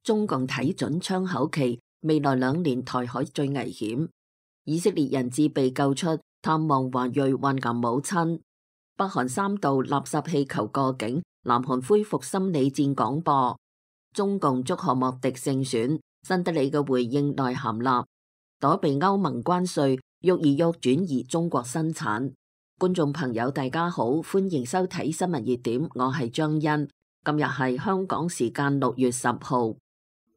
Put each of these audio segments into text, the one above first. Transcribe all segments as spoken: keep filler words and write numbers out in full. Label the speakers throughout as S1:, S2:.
S1: 中共睇準窗口期，未來兩年台海最危險。以色列人質被救出，探望華裔患癌母親。北韓三度垃圾氣球過境，南韓恢復心理戰廣播。中共祝賀莫迪勝選，新德里嘅回應內涵立。躲避歐盟關稅，喐而喐轉移中國生產。觀眾朋友大家好，歡迎收睇新聞熱點，我係張欣。今日係香港時間六月十號。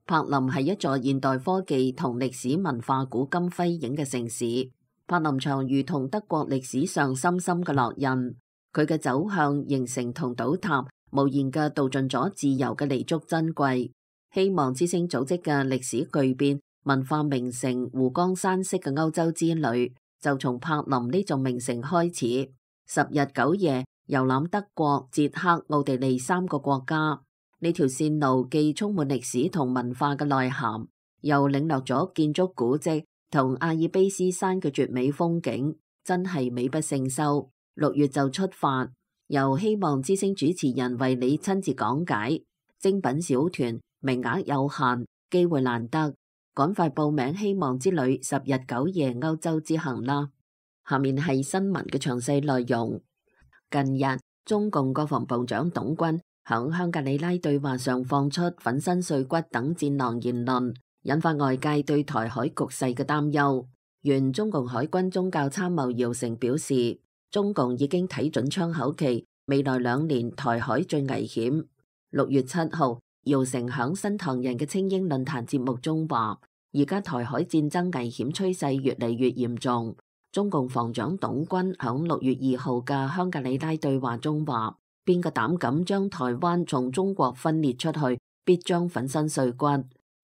S1: 柏林係一座現代科技同歷史文化古今輝映嘅城市。柏林牆如同德國歷史上深深嘅烙印，佢嘅走向、形成同倒塌，無言嘅道盡咗自由嘅彌足珍貴。希望之聲組織嘅歷史巨變、文化名城湖光山色嘅歐洲之旅，就從柏林呢座名城開始，十日九夜遊覽德國、捷克、奧地利三個國家。呢條線路既充滿歷史同文化嘅內涵，又領略咗建築古蹟同阿爾卑斯山嘅絕美風景，真係美不勝收。六月就出發，由希望之聲主持人為你親自講解。精品小團，名額有限，機會難得，趕快報名希望之旅十日九夜歐洲之行啦！下面係新聞嘅詳細內容。近日，中共國防部長董軍響香格里拉對話上放出粉身碎骨等戰狼言論，引發外界對台海局勢嘅擔憂。原中共海軍宗教參謀姚成表示，中共已經睇準窗口期，未來兩年台海最危險。六月七號，姚成響新唐人嘅青英論壇節目中話，而家台海戰爭危險趨勢越嚟越嚴重。中共防長董軍響六月二號嘅香格里拉對話中話，邊個膽敢將台灣從中國分裂出去，必將粉身碎骨。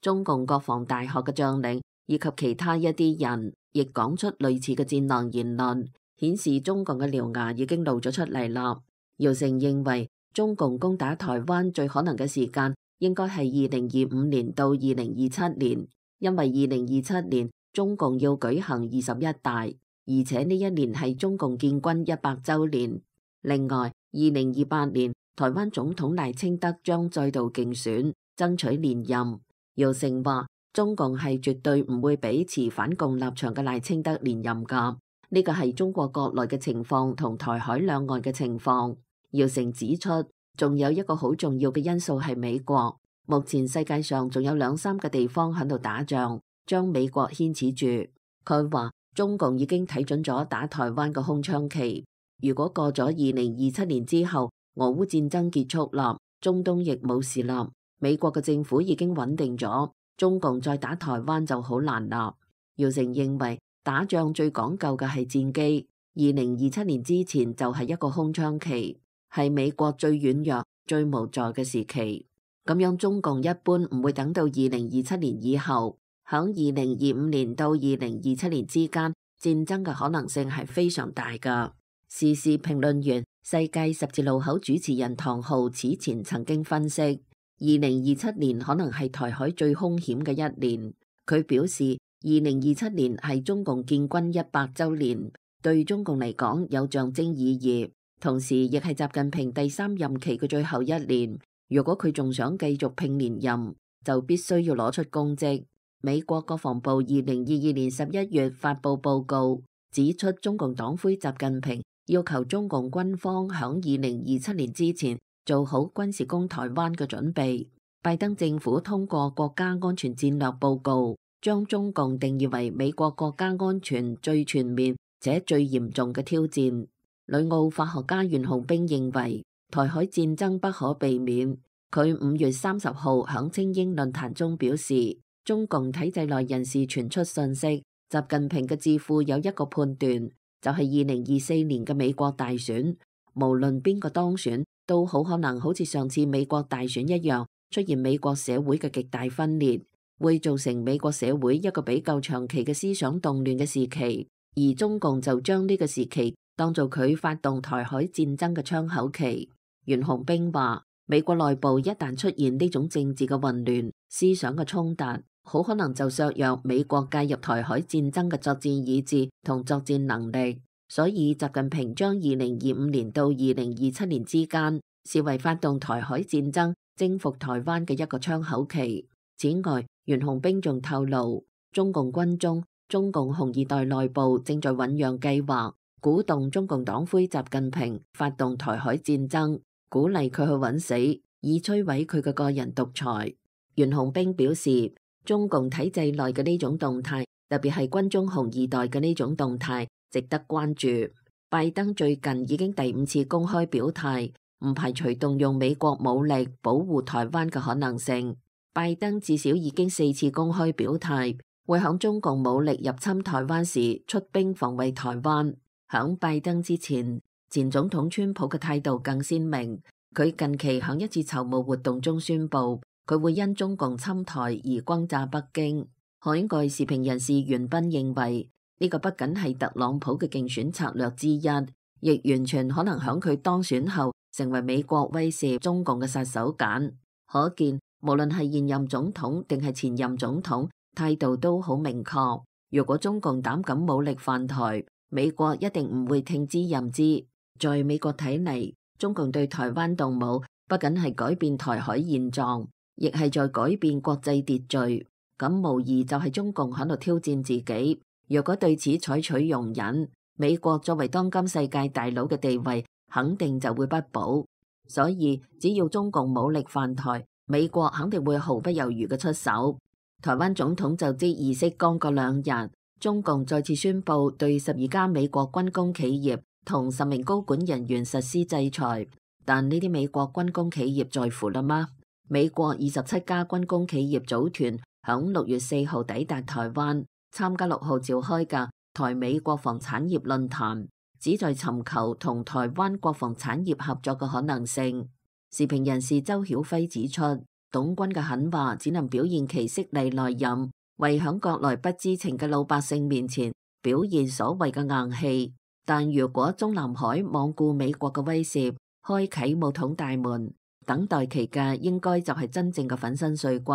S1: 中共國防大學嘅將領以及其他一啲人亦講出類似嘅戰狼言論，顯示中共嘅獠牙已經露咗出嚟啦。姚成認為，中共攻打台灣最可能嘅時間應該係二零二五年到二零二七年，因為二零二七年中共要舉行二十一大，而且呢一年係中共建軍一百週年。另外，二零二八年台灣總統賴清德將再度競選，爭取連任。姚成話，中共係絕對唔會俾持反共立場嘅賴清德連任噶，呢個係中國國內嘅情況同台海兩岸嘅情況。姚成指出，仲有一個好重要嘅因素係美國。目前世界上仲有兩三個地方喺度打仗，將美國牽扯住。佢話中共已經睇準咗打台灣嘅空窗期。如果過咗二零二七年之後，俄烏戰爭結束啦，中東亦冇事啦，美國嘅政府已經穩定咗，中共再打台灣就好難啦。姚成認為打仗最講究嘅係戰機，二零二七年之前就係一個空窗期，係美國最軟弱、最無助嘅時期。咁樣中共一般唔會等到二零二七年以後，響二零二五年到二零二七年之間，戰爭嘅可能性係非常大噶。時事評論員、世界十字路口主持人唐浩此前曾經分析，二零二七年可能係台海最兇險嘅一年。佢表示，二零二七年係中共建軍一百週年，對中共嚟講有象徵意義，同時亦係習近平第三任期嘅最後一年。如果佢仲想繼續拼連任，就必須要攞出功績。美國國防部二零二二年十一月發布報告，指出中共黨魁習近平要求中共軍方響二零二七年之前做好軍事攻台灣嘅準備。拜登政府通過國家安全戰略報告，將中共定義為美國國家安全最全面且最嚴重嘅挑戰。旅澳法學家袁浩兵認為，台海戰爭不可避免。佢五月三十號響青英論壇中表示，中共體制內人士傳出信息，習近平嘅智庫有一個判斷，就係二零二四年嘅美國大選，無論邊個當選，都好可能好似上次美國大選一樣，出現美國社會嘅極大分裂，會造成美國社會一個比較長期嘅思想動亂嘅時期，而中共就將呢個時期當做佢發動台海戰爭嘅窗口期。袁洪兵話，美國內部一旦出現呢種政治嘅混亂、思想嘅衝突，好可能就削弱美國介入台海戰爭嘅作戰意志同作戰能力。所以習近平將二零二五年到二零二七年之間視為發動台海戰爭、征服台灣嘅一個窗口期。此外，袁紅冰仲透露，中共軍中中共紅二代內部正在醖釀計劃，鼓動中共黨魁習近平發動台海戰爭，鼓勵佢去揾死，以摧毀佢嘅個人獨裁。袁紅冰表示，中共體制內嘅呢種動態，特別係軍中紅二代嘅呢種動態，值得關注。拜登最近已經第五次公開表態，唔排除動用美國武力保護台灣嘅可能性。拜登至少已經四次公開表態，會響中共武力入侵台灣時出兵防衛台灣。響拜登之前，前總統川普嘅態度更鮮明。佢近期響一次籌募活動中宣布，佢會因中共侵台而轟炸北京。海外時評人士袁彬認為，呢個不僅係特朗普嘅競選策略之一，亦完全可能響佢當選後成為美國威懾中共嘅殺手鐧。可見，無論係現任總統定係前任總統，態度都好明確。如果中共膽敢武力犯台，美國一定唔會聽之任之。在美國睇嚟，中共對台灣動武，不僅係改變台海現狀，亦係在改變國際秩序。咁無疑就係中共喺度挑戰自己。若果對此採取容忍，美國作為當今世界大佬嘅地位，肯定就會不保。所以只要中共武力犯台，美國肯定會毫不猶豫嘅出手。台灣總統就職儀式剛過兩日，中共再次宣布對十二家美國軍工企業同十名高管人員實施制裁。但呢啲美國軍工企業在乎啦嗎？美國二十七家軍工企業組團響六月四號抵達台灣，參加六號召開嘅台美國防產業論壇，旨在尋求同台灣國防產業合作嘅可能性。時評人士周曉輝指出，董軍嘅狠話只能表現其色厲內荏，為響國內不知情嘅老百姓面前表現所謂嘅硬氣。但如果中南海罔顧美國嘅威懾，開啟武統大門，等待其嘅應該就係真正嘅粉身碎骨。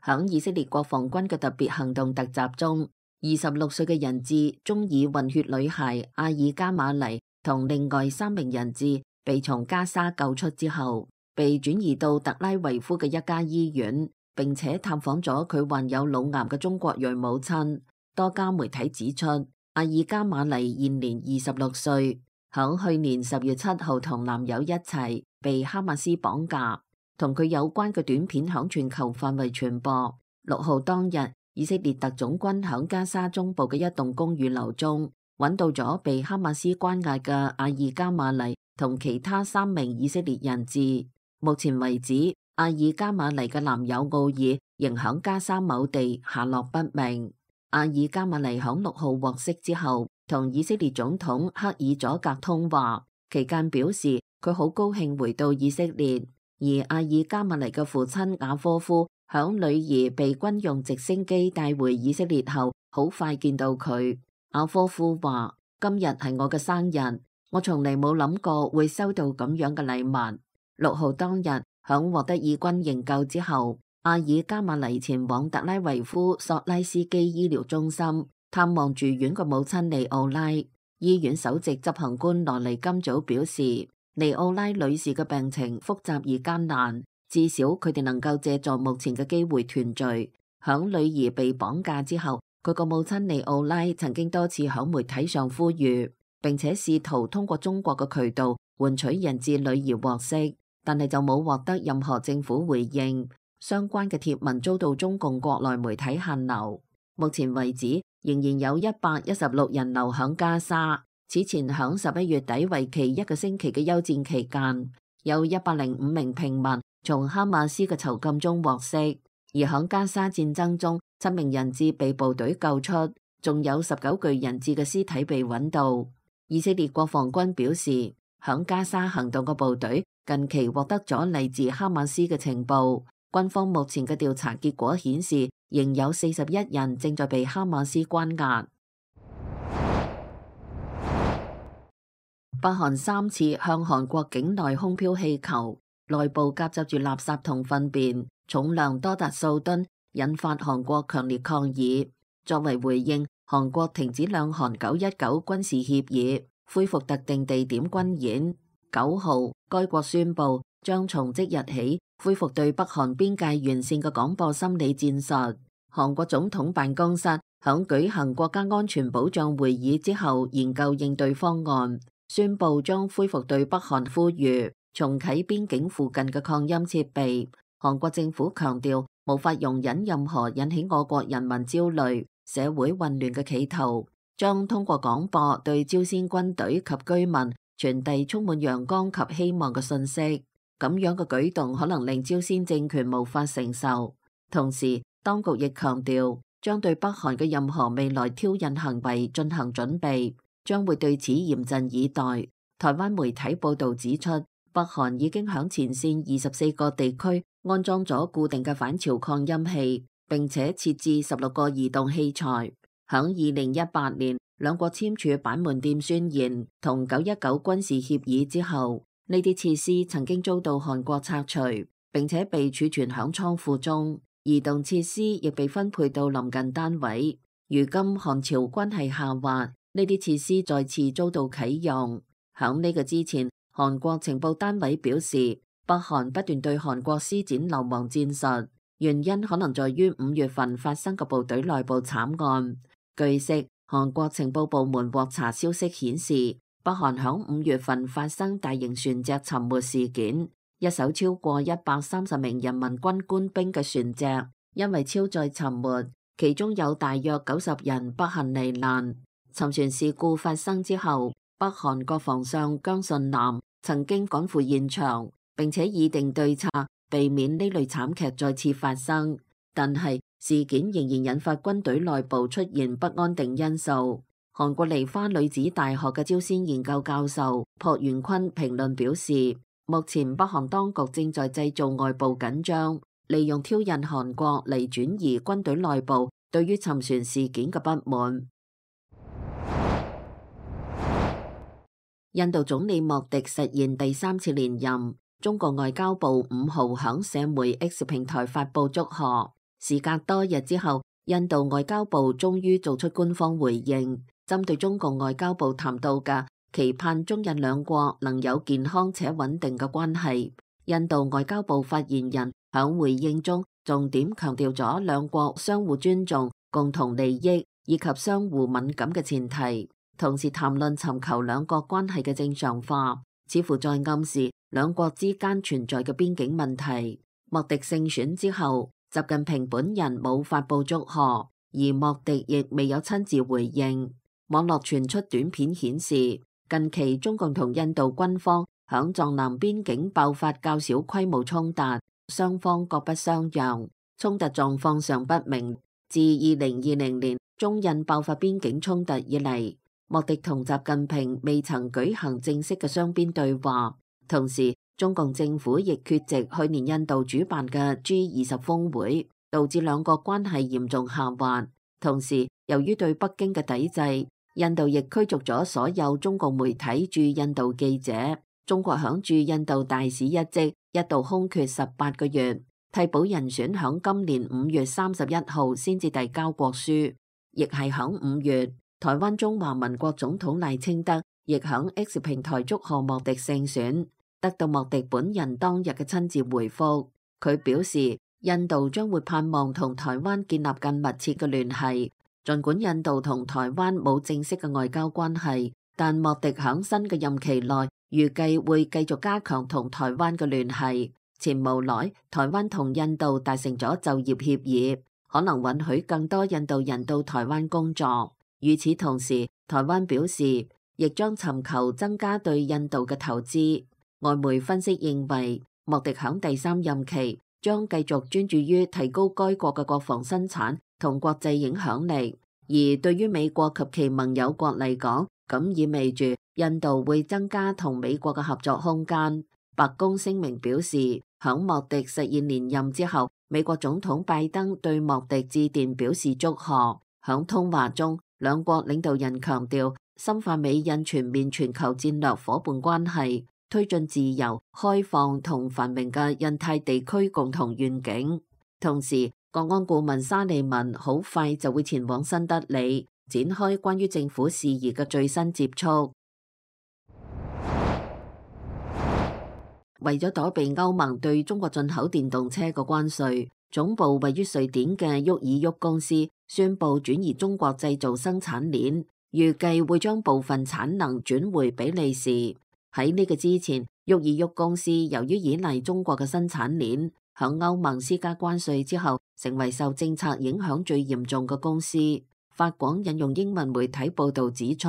S1: 響以色列國防軍嘅特別行動突襲中，二十六歲嘅人質中以混血女孩阿爾加馬尼同另外三名人質被從加沙救出之後，被轉移到特拉維夫嘅一家醫院，並且探訪咗佢患有腦癌嘅中國裔母親。多家媒體指出，阿爾加馬尼現年二十六歲，響去年十月七號同男友一齊被哈馬斯綁架。同佢有關嘅短片響全球範圍傳播。六號當日，以色列特種軍響加沙中部嘅一棟公寓樓中揾到咗被哈馬斯關押嘅阿爾加馬尼同其他三名以色列人質。目前為止，阿爾加馬尼嘅男友奧爾仍響加沙某地下落不明。阿爾加馬尼響六號獲釋之後，同以色列總統克爾佐格通話，期間表示佢好高興回到以色列。而阿爾加馬尼嘅父親雅科夫響女兒被軍用直升機帶回以色列後，好快見到佢。雅科夫話：今日係我嘅生日，我從嚟冇諗過會收到咁樣嘅禮物。六號當日響獲得以軍營救之後，阿爾加馬尼前往特拉維夫索拉斯基醫療中心探望住院嘅母親尼奧拉。醫院首席執行官羅尼今早表示，尼奧拉女士嘅病情複雜而艱難，至少佢哋能夠借助目前嘅機會團聚。響女兒被綁架之後，佢個母親尼奧拉曾經多次響媒體上呼籲，並且試圖通過中國嘅渠道換取人質女兒獲釋，但係就冇獲得任何政府回應。相關嘅貼文遭到中共國內媒體限流。目前為止，仍然有一百一十六人留響加沙。此前響十一月底為期一個星期嘅休戰期間，有一百零五名平民從哈馬斯嘅囚禁中獲釋，而響加沙戰爭中，七名人質被部隊救出，仲有十九具人質嘅屍體被揾到。以色列國防軍表示，響加沙行動嘅部隊近期獲得咗嚟自哈馬斯嘅情報，軍方目前嘅調查結果顯示，仍有四十一人正在被哈馬斯關押。北韓三次向韓國境內空飄氣球，內部夾雜住垃圾同糞便，重量多達數噸，引發韓國強烈抗議。作為回應，韓國停止兩韓九一九軍事協議，恢復特定地點軍演。九號，該國宣布將從即日起恢復對北韓邊界沿線嘅廣播心理戰術。韓國總統辦公室響舉行國家安全保障會議之後，研究應對方案，宣布將恢復對北韓呼籲重啟邊境附近嘅擴音設備。韓國政府強調，無法容忍任何引起我國人民焦慮、社會混亂嘅企圖，將通過廣播對朝鮮軍隊及居民傳遞充滿陽光及希望嘅信息。咁樣嘅舉動可能令朝鮮政權無法承受。同時，當局亦強調，將對北韓嘅任何未來挑釁行為進行準備，將會對此嚴陣以待。台灣媒體報導指出，北韓已經響前線二十四個地區安裝咗固定嘅反潮擴音器，並且設置十六個移動器材。響二零一八年，兩國簽署板門店宣言同九一九軍事協議之後，呢啲設施曾經遭到韓國拆除，並且被儲存響倉庫中。移動設施亦被分配到鄰近單位。如今韓朝關係下滑，呢啲設施再次遭到啟用。響呢個之前，韓國情報單位表示，北韓不斷對韓國施展流亡戰術，原因可能在於五月份發生嘅部隊內部慘案。據悉，韓國情報部門獲查消息顯示，北韓響五月份發生大型船隻沉沒事件。一艘超過一百三十名人民軍官兵嘅船隻因為超載沉沒，其中有大約九十人不幸罹難。沉船事故發生之後，北韓國防相姜信南曾經趕赴現場，並且擬定對策，避免呢類慘劇再次發生。但係事件仍然引發軍隊內部出現不安定因素。韓國梨花女子大學嘅朝鮮研究教授朴元坤評論表示，目前北韓當局正在製造外部緊張，利用挑釁韓國嚟轉移軍隊內部對於沉船事件嘅不滿。印度總理莫迪實現第三次連任，中國外交部五號響社媒 X 平台發布祝賀。時隔多日之後，印度外交部終於做出官方回應，針對中共外交部談到嘅期盼中印兩國能有健康且穩定嘅關係。印度外交部發言人響回應中重點強調咗兩國相互尊重、共同利益以及相互敏感嘅前提，同時談論尋求兩國關係嘅正常化，似乎在暗示兩國之間存在嘅邊境問題。莫迪勝選之後，習近平本人冇發布祝賀，而莫迪亦未有親自回應。網絡傳出短片顯示，近期中共同印度軍方響藏南邊境爆發較小規模衝突，雙方各不相讓，衝突狀況尚不明。自二零二零年中印爆發邊境衝突以嚟，莫迪同習近平未曾舉行正式嘅雙邊對話。同時，中共政府亦缺席去年印度主辦嘅 G 二十峰會，導致兩國關係嚴重下滑。同時，由於對北京嘅抵制，印度亦驅逐咗所有中共媒體駐印度記者。中國響駐印度大使一職一度空缺十八個月，替補人選響今年五月三十一號先至遞交國書。亦係響五月，台灣中華民國總統賴清德亦響 X 平台祝賀莫迪勝選，得到莫迪本人當日嘅親自回覆。佢表示，印度將會盼望同台灣建立更密切嘅聯繫。儘管印度同台灣冇正式嘅外交關係，但莫迪響新嘅任期內預計會繼續加強同台灣嘅聯繫。前無來，台灣同印度達成咗就業協議，可能允許更多印度人到台灣工作。與此同時，台灣表示亦將尋求增加對印度嘅投資。外媒分析認為，莫迪響第三任期將繼續專注於提高該國嘅國防生產同國際影響力，而對於美國及其盟友國嚟講，咁意味住印度會增加同美國嘅合作空間。白宮聲明表示，響莫迪實現連任之後，美國總統拜登對莫迪致電表示祝賀。響通話中，兩國領導人強調深化美印全面全球戰略夥伴關係，推進自由、開放同繁榮嘅印太地區共同願景。同時，國安顧問沙利文好快就會前往新德里，展開關於政府事宜嘅最新接觸。為咗躲避歐盟對中國進口電動車嘅關稅，總部位於瑞典嘅沃爾沃公司宣布轉移中國製造生產鏈，預計會將部分產能轉回比利時。喺呢個之前，沃爾沃公司由於依賴中國嘅生產鏈，響歐盟施加關稅之後，成為受政策影響最嚴重嘅公司。法廣引用英文媒體報道指出，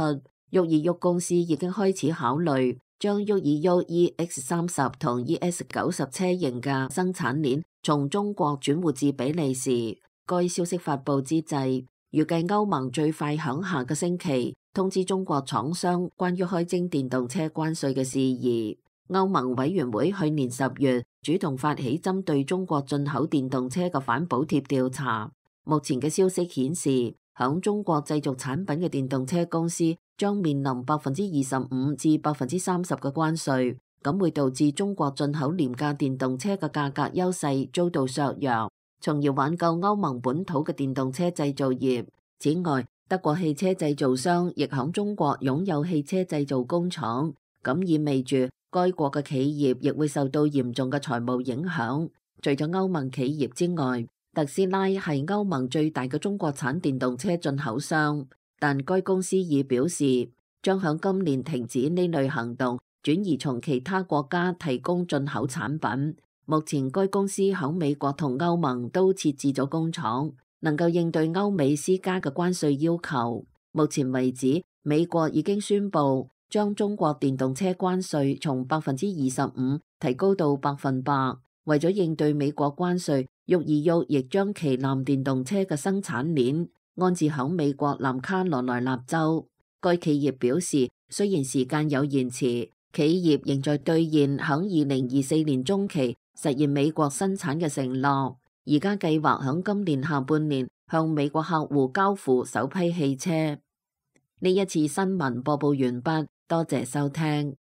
S1: 沃爾沃公司已經開始考慮將沃爾沃 E X 三十同 E S 九十車型嘅生產鏈從中國轉換至比利時。該消息發佈之際，預計歐盟最快響下個星期通知中國廠商關於開徵電動車關稅嘅事宜。歐盟委員會去年十月主動發起針對中國進口電動車嘅反補貼調查。目前嘅消息顯示，響中國製造產品嘅電動車公司將面臨百分之二十五至百分之三十嘅關稅，咁會導致中國進口廉價電動車嘅價格優勢遭到削弱，從而挽救歐盟本土嘅電動車製造業。此外，德國汽車製造商亦響中國擁有汽車製造工廠，咁意味住該國嘅企業亦會受到嚴重嘅財務影響。除咗歐盟企業之外，特斯拉係歐盟最大嘅中國產電動車進口商，但該公司已表示將響今年停止呢類行動，轉移從其他國家提供進口產品。目前該公司響美國同歐盟都設置咗工廠，能夠應對歐美施加嘅關稅要求。目前為止，美國已經宣布將中國電動車關稅從百分之二十五提高到百分百。為咗應對美國關稅，沃爾沃亦將旗艦電動車嘅生產鏈安置響美國南卡羅來納州。該企業表示，雖然時間有延遲，企業仍在兌現響二零二四年中期實現美國生產嘅承諾。而家計劃響今年下半年向美國客戶交付首批汽車。呢一次新聞播報完畢，多謝收聽。